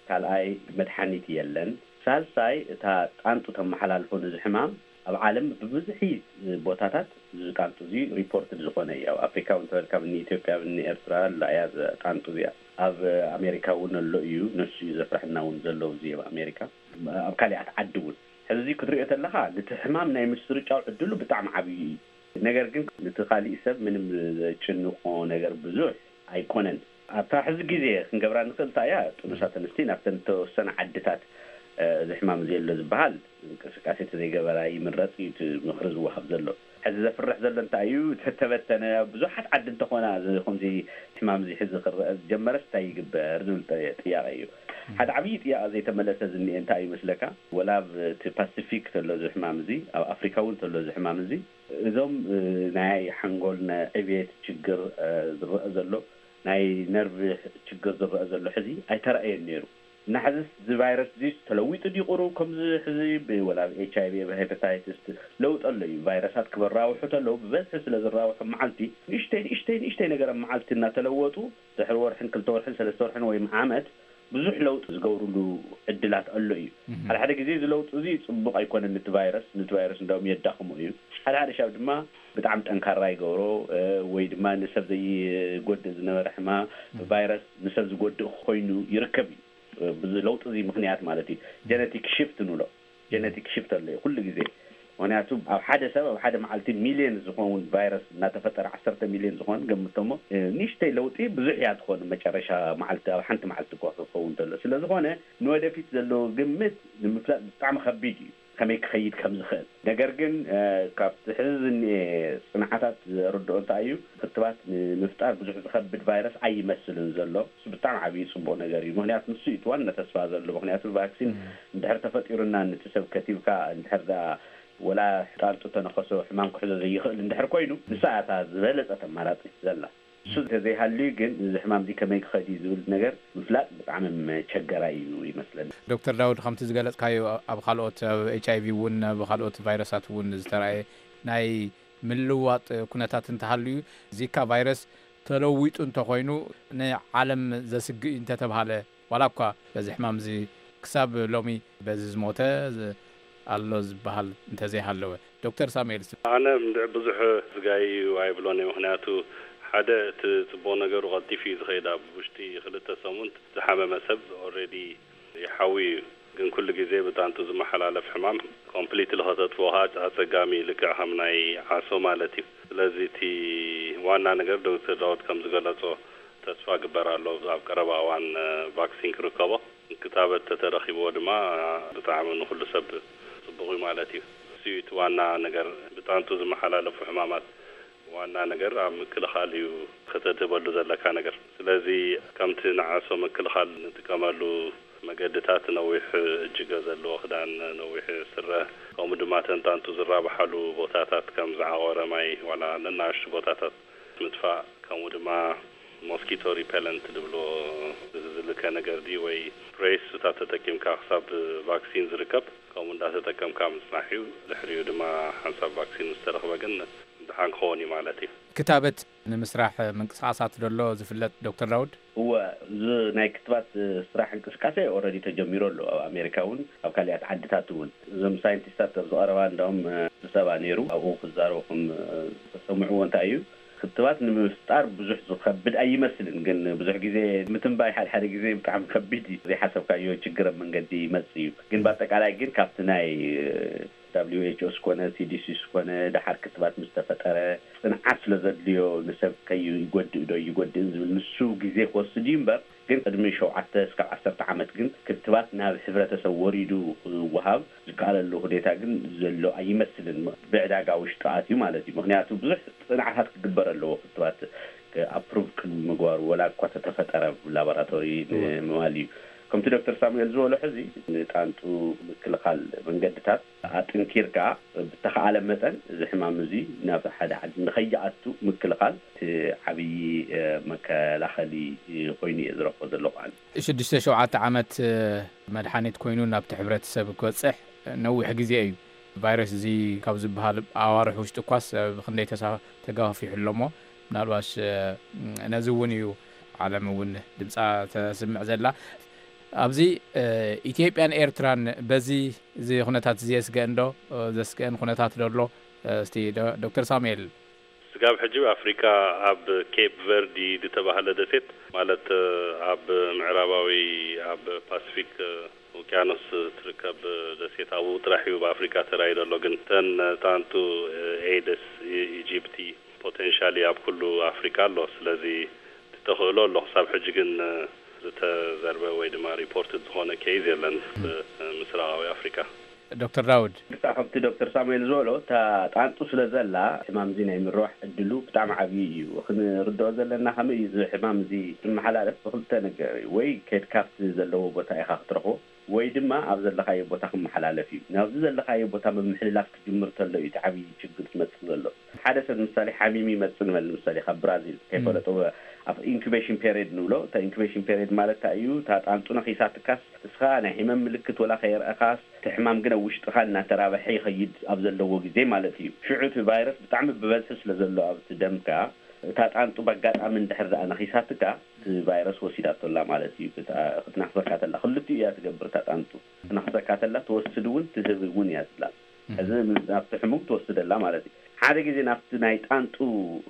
ካልኣይ መድሓኒት የለን፣ ሳልሳይ እታ ጣንጡ ተመሓላልፎ ነዚ ሕማም ኣብ ዓለም ብብዝሒ ቦታታት እዚ ጣንጡ እዚ ሪፖርትድ ዝኾነ እዩ። ኣብ ኣፍሪካ እውን ተበልካ ብኒ ኢትዮጵያ ብኒ ኤርትራ ኣላ እያ እዛ ጣንጡ እዚኣ። ኣብ ኣሜሪካ እውን ኣሎ እዩ፣ ነሱ እዩ ዘፍርሐና እውን ዘሎ እዚ ኣብ ኣሜሪካ፣ ኣብ ካሊኣት ዓዲ እውን። ሕዚ እዚ ክትሪኦ ተለኻ ነቲ ሕማም ናይ ምስርጫው ዕድሉ ብጣዕሚ ዓብዪ እዩ። ነገር ግን ነቲ ካሊእ ሰብ ምንም ዘጭንቆ ነገር ብዙሕ ኣይኮነን። ኣብታ ሕዚ ግዜ ክንገብራ ንኽእል እንታይ እያ፣ ጥኑሳት ኣንስቲ ናብተን ዝተወሰነ ዓድታት፣ እ፣ እዚ ሕማም እዚ ኣሎ ዝበሃል እንቅስቃሴ ተዘይገበራ ይምረጽ እዩ እቲ ምኽሪ ዝወሃብ ዘሎ። ሕዚ ዘፍርሕ ዘሎ እንታይ እዩ፣ ተተበተነ ኣብ ብዙሓት ዓዲ እንተኾና እዚ ከምዚ ሕማም እዚ ሕዚ ክረአ ዝጀመረስ እንታይ ይግበር ዝብል ጠ-፣ ጥያቄ እዩ። ሓደ ዓብዪ ጥያቄ ዘይተመለሰ ዝኒኤ እንታይ እዩ መስለካ? ወላ ኣብ እቲ ፓሲፊክ ተሎ እዚ ሕማም እዚ፣ ኣብ ኣፍሪካ እውን ተሎ እዚ ሕማም እዚ፣ እዞም፣ እ፣ ናይ ሓንጎል ናይ ዕብየት ችግር፣ እ፣ ዝረአ ዘሎ፣ ናይ ነርቭ ችግር ዝረአ ዘሎ ሕዚ ኣይተራእየን ነይሩ። ናሕዝስ እዚ ቫይረስ እዚ ተለዊጡ ድዩ ቁሩብ ከምዚ ሕዚ ብ-፣ ወላ ኤች ኣይ ቪ፣ ሄፓታይትስ ለውጢ ኣሎ እዩ። ቫይረሳት ክበራውሑ ተለዉ ብበዝሒ ስለ ዝራውሑ መዓልቲ ንእሽተይ፣ ንእሽተይ፣ ንእሽተይ ነገር ኣብ መዓልቲ እናተለወጡ ድሕሪ ወርሕን ክልተ ወርሕን ሰለስተ ወርሕን ወይ ዓመት ብዙሕ ለውጢ ዝገብሩሉ ዕድላት ኣሎ እዩ። ሓደ ሓደ ግዜ እዚ ለውጢ እዚ ጽቡቕ ኣይኮነን፣ ነቲ ቫይረስ፣ ነቲ ቫይረስ እንዳውም የዳኽሞ እዩ። ሓደ ሓደ ሻብ ድማ ብጣዕሚ ጠንካራ ይገብሮ፣ እ፣ ወይ ድማ ንሰብ ዘይጎድእ ዝነበረ ሕማ ቫይረስ ንሰብ ዝጎድእ ኮይኑ ይርከብ እዩ። እ፣ ብዚ ለውጢ እዚ ምኽንያት ማለት እዩ። ጀነቲክ ሽፍት ንብሎ። ጀነቲክ ሽፍት ኣሎ እዩ ኩሉ ግዜ። ምኽንያቱ ኣብ ሓደ ሰብ ኣብ ሓደ መዓልቲ ሚልዮን ዝኸውን ቫይረስ እናተፈጠረ፣ ዓሰርተ ሚልዮን ዝኾን ገምቶሞ፣ እ፣ ንእሽተይ ለውጢ ብዙሕ እያ ትኾን። መጨረሻ መዓልቲ ኣብ ሓንቲ መዓልቲ እኳ ክኸውን ተሎ። ስለ ዝኾነ ንወደፊት ዘለዎ ግምት ንምፍላጥ ብጣዕሚ ከቢድ እዩ፣ ከመይ ክኸይድ ከም ዝኽእል። ነገር ግን፣ እ፣ ካብቲ ሕዚ ዝኒኤ ጽንዓታት ዘርድኦ እንታይ እዩ፣ ክትባት ንምፍጣር ብዙሕ ዝኸብድ ቫይረስ ኣይመስልን ዘሎ። እሱ ብጣዕሚ ዓብዪ ጽቡቕ ነገር እዩ። ምኽንያቱ ንሱ እዩ እቲ ዋና ተስፋ ዘሎ። ምኽንያቱ ቫክሲን እንድሕር ተፈጢሩና፣ ነቲ ሰብ ከቲብካ እንድሕር ደኣ ወላ ጣንጡ ተነኸሶ ሕማም ክሕዞ ዘይኽእል እንድሕር ኮይኑ፣ ንሳ እያ እታ ዝበለጸት ኣማራጺ ዘላ። እሱ እንተዘይሃልዩ ግን እዚ ሕማም እዚ ከመይ ክኸድ እዩ ዝብል ነገር ምፍላጥ ብጣዕሚ መቸገራይ እዩ ይመስለኒ። ዶክተር ዳውድ፣ ከምቲ ዝገለጽካዮ ኣብ ካልኦት፣ ኣብ ኤች ኣይ ቪ እውን ኣብ ካልኦት ቫይረሳት እውን ዝተረኣየ ናይ ምልዋጥ ኩነታት እንተሃልዩ፣ ዚካ ቫይረስ ተለዊጡ እንተኾይኑ ንዓለም ዘስግእ እዩ እንተተብሃለ፣ ዋላ እኳ በዚ ሕማም እዚ ክሳብ ሎሚ በዚ ዝሞተ ዝ-፣ ኣሎ ዝበሃል እንተዘይሃለወ። ዶክተር ሳሙኤል ስ- ኣነ እንድዕ ብዙሕ ዝጋይ እዩ ኣይብሎን እየ። ምኽንያቱ ሓደ እቲ ጽቡቕ ነገሩ ቀልጢፉ እዩ ዝኸይድ። ኣብ ውሽጢ ክልተ ሰሙን ዝሓመመ ሰብ ኦልሬዲ ይሓዊ እዩ። ግን ኩሉ ግዜ ብጣንቱ ዝመሓላለፍ ሕማም ኮምፕሊትሊ ከተጥፍኦ ከዓ ኣጸጋሚ እዩ፣ ልክዕ ከም ናይ ዓሶ ማለት እዩ። ስለዚ እቲ ዋና ነገር ዶክተር ዳውድ ከም ዝገለጾ ተስፋ ግበር ኣሎ ኣብ ቀረባ እዋን፣ እ፣ ቫክሲን ክርከቦ። ክታበት ተተረኺብዎ ድማ ብጣዕሚ ንኹሉ ሰብ ጽቡቕ እዩ ማለት እዩ። እሱ እዩ እቲ ዋና ነገር። ብጣንቱ ዝመሓላለፉ ሕማማት ዋና ነገር ኣብ ምክልኻል እዩ ከተድህበሉ ዘለካ ነገር። ስለዚ ከምቲ ንዓሶ ምክልኻል ንጥቀመሉ መገድታት ነዊሕ እጅገ ዘለዎ ክዳን፣ ነዊሕ ስረ፣ ከምኡ ድማ ተንጣንቱ ዝራብሓሉ ቦታታት ከም ዝዓቖረ ማይ ዋላ ነናእሽቱ ቦታታት ምጥፋእ፣ ከምኡ ድማ ሞስኪቶ ሪፐለንት ዝብሎ ዝልከ ነገር ድዩ ወይ ስፕሬይ፣ እሱታት ተጠቂምካ ክሳብ ቫክሲን ዝርከብ ከምኡ እንዳተጠቀምካ ምጽናሕ እዩ። ድሕሪኡ ድማ ሓንሳብ ቫክሲን ምስ ተረኽበ ግን ድሓን ክኸውን እዩ ማለት እዩ። ክታበት ንምስራሕ ምንቅስቓሳት ደሎ ዝፍለጥ ዶክተር ዳውድ? እወ፣ እዚ ናይ ክትባት ስራሕ እንቅስቃሴ ኦልሬዲ ተጀሚሩ ኣሎ። ኣብ ኣሜሪካ እውን ኣብ ካልኣት ዓድታት እውን እዞም ሳይንቲስታት ኣብዚ ቀረባ እንዳውም፣ እ፣ ስብሰባ ነይሩ። ኣብኡ ክዛረቡ ከም፣ እ፣ ዝተሰምዕዎ እንታይ እዩ፣ ክትባት ንምፍጣር ብዙሕ ዝኸብድ ኣይመስልን፣ ግን ብዙሕ ግዜ ምትንባይ ሓደ ሓደ ግዜ ብጣዕሚ ከቢድ እዩ። ዘይሓሰብካዮ ችግር ኣብ መንገዲ ይመጽእ እዩ። ግን ብኣጠቃላይ ግን ካብቲ ናይ፣ እ፣ ደብሊው ኤች ኦ ስኮነ፣ ሲ ዲ ሲ ስኮነ፣ ደሓር ክትባት ምስ ተፈጠረ ጽንዓት ስለ ዘድልዮ ንሰብ ከይጎድእ ዶ ይጎድእን ዝብል ንሱ ግዜ ክወስድ እዩ እምበር፣ ግን ቅድሚ ሸውዓተ እስካብ ዓሰርተ ዓመት ግን ክትባት ናብ ሕብረተሰብ ወሪዱ ክወሃብ ዝከኣለሉ ሁኔታ ግን ዘሎ ኣይመስልን። ብዕዳጋ ውሽጢ ኣትዩ ማለት እዩ። ምኽንያቱ ብዙሕ ጽንዓታት ክግበር ኣለዎ ክትባት ኣፕሩቭ ቅድሚ ምግባሩ፣ ወላ እኳ ተተፈጠረ ብ ላቦራቶሪ እወ። ንምባል እዩ። ከምቲ ዶክተር ሳሙኤል ዝበሎ ሕዚ ንጣንጡ ምክልኻል መንገድታት ኣጥንኪርካ ብተኻእለ መጠን እዚ ሕማም እዚ ናብ ሓደ ዓዲ ንኸይኣቱ ምክልኻል እቲ ዓብዪ፣ እ፣ መከላኸሊ ኮይኑ እየ ዝረኽቦ ዘለኹ ኣነ። ሽዱሽተ ሸውዓተ ዓመት፣ እ፣ መድሓኒት ኮይኑ ናብቲ ሕብረተሰብ ክበጽሕ ነዊሕ ግዜ እዩ። ቫይረስ እዚ ካብ ዝበሃል ኣዋርሕ ውሽጢ እኳስ ብኽንደይ ተሳ-፣ ተጋፊሑ ኣሎ እሞ፣ ምናልባሽ፣ እ፣ ነዚ እውን እዩ ዓለም እውን ድምጻ ተስምዕ ዘላ። ኣብዚ፣ እ፣ ኢትዮጵያን ኤርትራን በዚ እዚ ኩነታት እዚ የስገአን ዶ? እ፣ ዘስገአን ኩነታት ዶ ኣሎ? እ፣ እስቲ ዶ-፣ ዶክተር ሳሙኤል። ስጋብ ሕጂ ኣብ ኣፍሪካ ኣብ ኬፕ ቨርዲ ዝተባህለ ደሴት፣ ማለት፣ እ፣ ኣብ ምዕራባዊ ኣብ ፓሲፊክ፣ እ፣ ውቅያኖስ ትርከብ ደሴት ኣብኡ ጥራሕ እዩ ብኣፍሪካ ተራእዩ ዘሎ። ግን ተን ጣንቱ፣ እ፣ ኤደስ፣ ኢ-፣ ኢጂፕቲ ፖቴንሻሊ ኣብ ኩሉ ኣፍሪካ ኣሎ። ስለዚ እቲ ተኽእሎ ኣሎ። ክሳብ ሕጂ ግን፣ እ፣ ዝተዘርበ ወይ ድማ ሪፖርትድ ዝኾነ ኬዝ የለን፣ እ፣ ምስራቃዊ ኣፍሪካ። ዶክተር ዳውድ። ብጣዕ ከምቲ ዶክተር ሳሙኤል ዝበሎ፣ እታ ጣንጡ ስለ ዘላ፣ ሕማም እዚ ናይ ምርባሕ ዕድሉ ብጣዕሚ ዓብዪ እዩ። ክንርድኦ ዘለና ከመይ እዩ እዚ ሕማም እዚ ዝመሓላለፍ? ብክልተ ነገር እዩ። ወይ ከድካ ኣብቲ ዘለዎ ቦታ ኢኻ ክትረኽቦ፣ ወይ ድማ ኣብ ዘለኻዮ ቦታ ክመሓላለፍ እዩ። ናብዚ ዘለኻዮ ቦታ ምምሕልላፍ ክጅምር ተሎ እዩ እቲ ዓብዪ ችግር ዝመጽእ ዘሎ። ሓደ ሰብ ምሳሌ ሓሚም ይመጽእ ንበል፣ ምሳሌ ካብ ብራዚል ከይፈለጦ ኣብ ኢንኩቤሽን ፔሪድ ንብሎ። እታ ኢንኩቤሽን ፔሪድ ማለት እንታይ እዩ? እታ ጣንጡ ነኺሳትካስ እስኻ ናይ ሕመም ምልክት ወላ ከየርአኻስ እቲ ሕማም ግን ኣብ ውሽጥኻ እናተራበሐ ይኸይድ ኣብ ዘለዎ ግዜ ማለት እዩ። ሽዑ እቲ ቫይረስ ብጣዕሚ ብበዝሒ ስለ ዘሎ ኣብቲ ደምካ፣ እታ ጣንጡ በኣጋጣሚ እንድሕር ደኣ ነኺሳትካ፣ እቲ ቫይረስ ወሲዳቶ ኣላ ማለት እዩ። ክት-፣ ክትናኽሰካ ተላ ክልቲኡ እያ ትገብር። እታ ጣንጡ ክትናኽሰካ ተላ ትወስድ እውን ትህብ እውን እያ ትብላ። እዚ ናብቲ ሕሙም ትወስደላ ማለት እዩ። ሓደ ግዜ ናብቲ ናይ ጣንጡ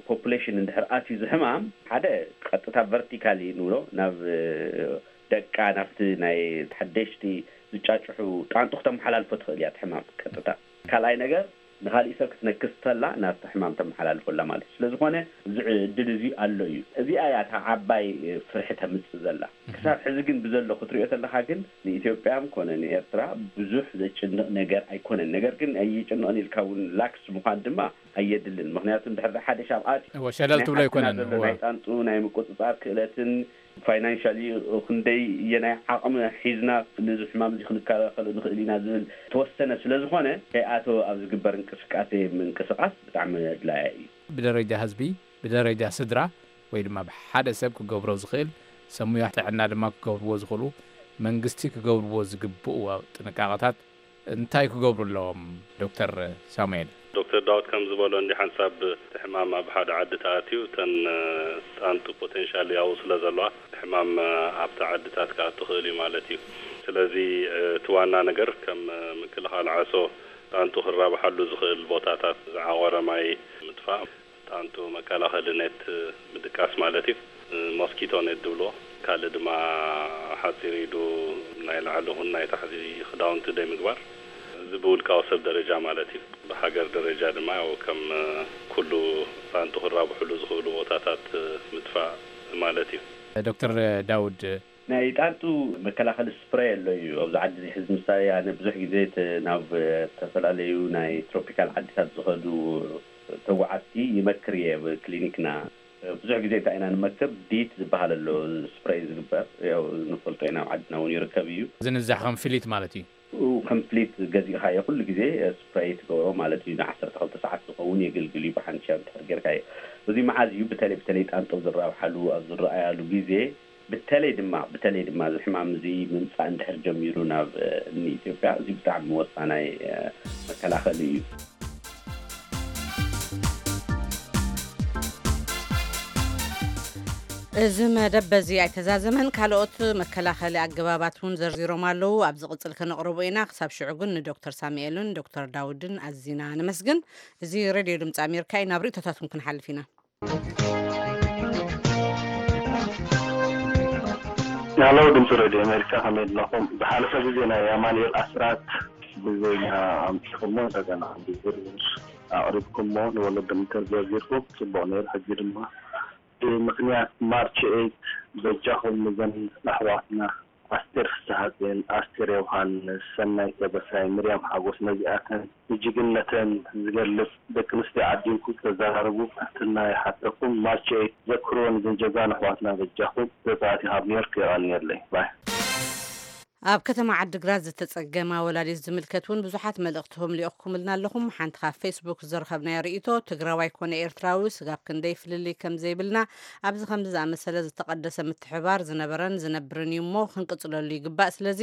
ፖፑሌሽን እንድሕር ኣትዩ ዝሕማም፣ ሓደ ቀጥታ ቨርቲካሊ ንብሎ ናብ ደቃ፣ ናብቲ ናይ ሓደሽቲ ዝጫጭሑ ጣንጡ ክተመሓላልፎ ትኽእል እያ እቲ ሕማም ቀጥታ። ካልኣይ ነገር ንኻሊእ ሰብ ክትነክስ ተላ ናብቲ ሕማም ተመሓላልፎ ኣላ ማለት እዩ። ስለ ዝኾነ እዚ ዕድል እዚ ኣሎ እዩ። እዚኣ እያ እታ ዓባይ ፍርሒ ተምጽእ ዘላ። ክሳብ ሕዚ ግን ብዘሎ ክትሪኦ ተለኻ ግን ንኢትዮጵያ ኮነ ንኤርትራ ብዙሕ ዘጭንቕ ነገር ኣይኮነን። ነገር ግን ኣይጭንቕን ኢልካ እውን ላክስ ምዃን ድማ ኣየድልን። ምኽንያቱ እንድሕር ሓደ ሻብ ኣትዩ እወ፣ ሸለል ናይ ትብሎ ሓድግና ኣይኮነን። ዘሎ እወ። ናይ ጣንጡ ናይ ምቁጽጻር ክእለትን ፋይናንሻሊ ክንደይ የናይ ዓቕሚ ሒዝና ነዚ ሕማም እዚ ክንከላኸሎ ንኽእል ኢና ዝብል ተወሰነ ስለ ዝኾነ ከይኣተወ ኣብ ዝግበር እንቅስቃሴ ምንቅስቃስ ብጣዕሚ ኣድላያ እዩ። ብደረጃ ህዝቢ፣ ብደረጃ ስድራ ወይ ድማ ብሓደ ሰብ ክገብሮ ዝኽእል፣ ሰብ ሙያ ጥዕና ድማ ክገብርዎ ዝኽእሉ፣ መንግስቲ ክገብርዎ ዝግብኡ ጥንቃቐታት እንታይ ክገብሩ ኣለዎም? ዶክተር ሳሙኤል። ዶክተር ዳውድ ከም ዝበሎ እንዲ ሓንሳብ እቲ ሕማም ኣብ ሓደ ዓዲ ተኣትዩ እተን ጣንጡ ፖቴንሻል ያው ስለ ዘለዋ እቲ ሕማም ኣብቲ ዓድታት ክኣቱ ክእል እዩ ማለት እዩ። ስለዚ እቲ ዋና ነገር ከም ምክልኻል ዓሶ ጣንጡ ክራብሓሉ ዝኽእል ቦታታት ዝዓቆረ ማይ ምጥፋእ፣ ጣንጡ መከላኸሊ ኔት ምድቃስ ማለት እዩ። ሞስኪቶ ኔት ዝብልዎ። ካልእ ድማ ሓፂር ኢዱ ናይ ላዕሊ ይኹን ናይ ታሕቲ ክዳውንቲ ዘይምግባር። እዚ ብውልቃዊ ሰብ ደረጃ ማለት እዩ። ብሃገር ደረጃ ድማ ያው ከም ኩሉ ጣንጡ ክራብሕሉ ዝኽእሉ ቦታታት ምጥፋእ ማለት እዩ። ዶክተር ዳውድ። ናይ ጣንጡ መከላኸሊ ስፕሬይ ኣሎ እዩ ኣብዚ ዓዲ እዚ። ሕዚ ምሳሌ ኣነ ብዙሕ ግዜ እቲ ናብ ዝተፈላለዩ ናይ ትሮፒካል ዓድታት ዝኸዱ ተጓዓዝቲ ይመክር እየ። ኣብ ክሊኒክና ብዙሕ ግዜ እንታይ ኢና ንመክር፣ ዲት ዝበሃል ኣሎ ስፕሬይ ዝግበር፣ ያው ንፈልጦ ኢና፣ ኣብ ዓድና እውን ይርከብ እዩ። ዝንዛሕ ከም ፍሊት ማለት እዩ። ኡ፣ ከም ፍሊት ገዚእኻዮ ኩሉ ግዜ ስፕሬይ ትገብሮ ማለት እዩ። ንዓሰርተ ክልተ ሰዓት ዝኸውን የገልግል እዩ፣ ብሓንሻ እንድሕር ጌርካዮ። እዚ መዓዝ እዩ በተለይ በተለይ ጣንጦ ዝራብሓሉ ኣብ ዝረኣያሉ ግዜ፣ በተለይ ድማ በተለይ ድማ እዚ ሕማም እዚ ምምፃእ እንድሕር ጀሚሩ ናብ እ፣ እኒ ኢትዮጵያ፣ እዚ ብጣዕሚ ወሳናይ እ፣ መከላኸሊ እዩ። እዚ መደብ በዚ ኣይተዛዘመን። ካልኦት መከላኸሊ ኣገባባት እውን ዘርዚሮም ኣለዉ። ኣብ ዝቕጽል ከነቕርቦ ኢና። ክሳብ ሽዑ ግን ንዶክተር ሳሙኤልን ዶክተር ዳውድን ኣዚና ነመስግን። እዚ ሬድዮ ድምፂ ኣሜሪካ እዩ። ናብ ርእቶታትኩም ክንሓልፍ ኢና። ሃሎ፣ ድምፂ ሬድዮ ኣሜሪካ፣ ከመይ ኣለኹም? ዝሓለፈ ግዜ ናይ ኣማኑኤል ኣስራት ብዜና ኣምፂኹሞ፣ እንደገና ብዝርዝር ኣቕሪብኩሞ፣ ንወለዶም እንተዘርዚርኩም ፅቡቕ ነይሩ። ሕጂ ድማ ብምኽንያት ማርች ኤይት በጃኹም ንዘን ኣሕዋትና ኣስቴር ፍስሃጽዮን፣ ኣስቴር ዮውሃንስ፣ ሰናይት ደበሳይ፣ ምርያም ሓጎስ፣ ነዚኣተን ንጅግንነተን ዝገልጽ ደቂ ኣንስትዮ ዓዲንኩም ክተዘራርቡ ብትሕትና ይሓተኩም። ማርች ኤይት ዘክርወን እዘን ጀጋኑ ኣሕዋትና በጃኹም። ዘጻእቲ ካብ ኒውዮርክ የቐንየለይ። ባይ። ኣብ ከተማ ዓዲግራት ዝተጸገማ ወላዲት ዝምልከት እውን ብዙሓት መልእኽትኹም ልኢኽኩምልና ኣለኹም። ሓንቲ ካብ ፌስቡክ ዝረኸብናዮ ርእይቶ፣ ትግራዋይ ኮነ ኤርትራዊ ስጋብ ክንደይ ፍልልይ ከም ዘይብልና፣ ኣብዚ ከምዚ ዝኣመሰለ ዝተቐደሰ ምትሕብባር ዝነበረን ዝነብርን እዩ እሞ ክንቅጽለሉ ይግባእ። ስለዚ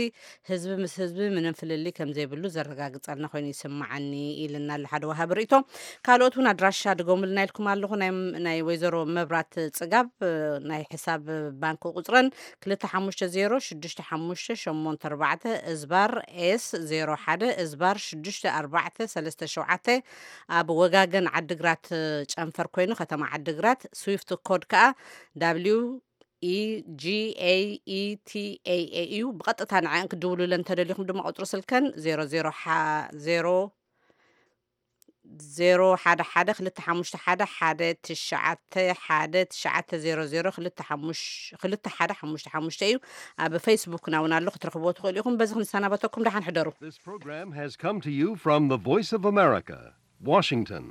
ህዝቢ ምስ ህዝቢ ምንም ፍልልይ ከም ዘይብሉ ዘረጋግጸልና ኮይኑ ይስምዓኒ ኢልና ኣሎ ሓደ ወሃቢ ርእይቶ። ካልኦት እውን ኣድራሻ ድገሙልና ኢልኩም ኣለኹ። ናይ ናይ ወይዘሮ መብራት ጽጋብ ናይ ሕሳብ ባንክ ቁጽረን ክልተ ሓሙሽተ ዜሮ ሽዱሽተ ሓሙሽተ ሸሞንተ ኣርባዕተ እዝባር ኤስ ዜሮ ሓደ እዝባር ሽዱሽተ ኣርባዕተ ሰለስተ ሸውዓተ፣ ኣብ ወጋገን ዓዲግራት ጨንፈር ኮይኑ ከተማ ዓዲግራት፣ ስዊፍት ኮድ ከኣ ዳብሊው ኢ ጂ ኤ ኢ ቲ ኤ ኤ እዩ። ብቐጥታ ንዐን ክድውሉለን እንተደሊኹም ድማ ቁጽሪ ስልከን ዜሮ ዜሮ ሓ-፣ ዜሮ ዜሮ ሓደ ሓደ ክልተ ሓሙሽተ ሓደ ሓደ ትሽዓተ ሓደ ትሽዓተ ዜሮ ዜሮ ክልተ ሓሙሽ-፣ ክልተ ሓደ ሓሙሽተ ሓሙሽተ እዩ። ኣብ ፌስቡክና እውን ኣሎ፣ ክትረኽብዎ ትኽእሉ ኢኹም። በዚ ክንሰናበተኩም፣ ደሓን ሕደሩ። This program has come to you from the Voice of America, Washington.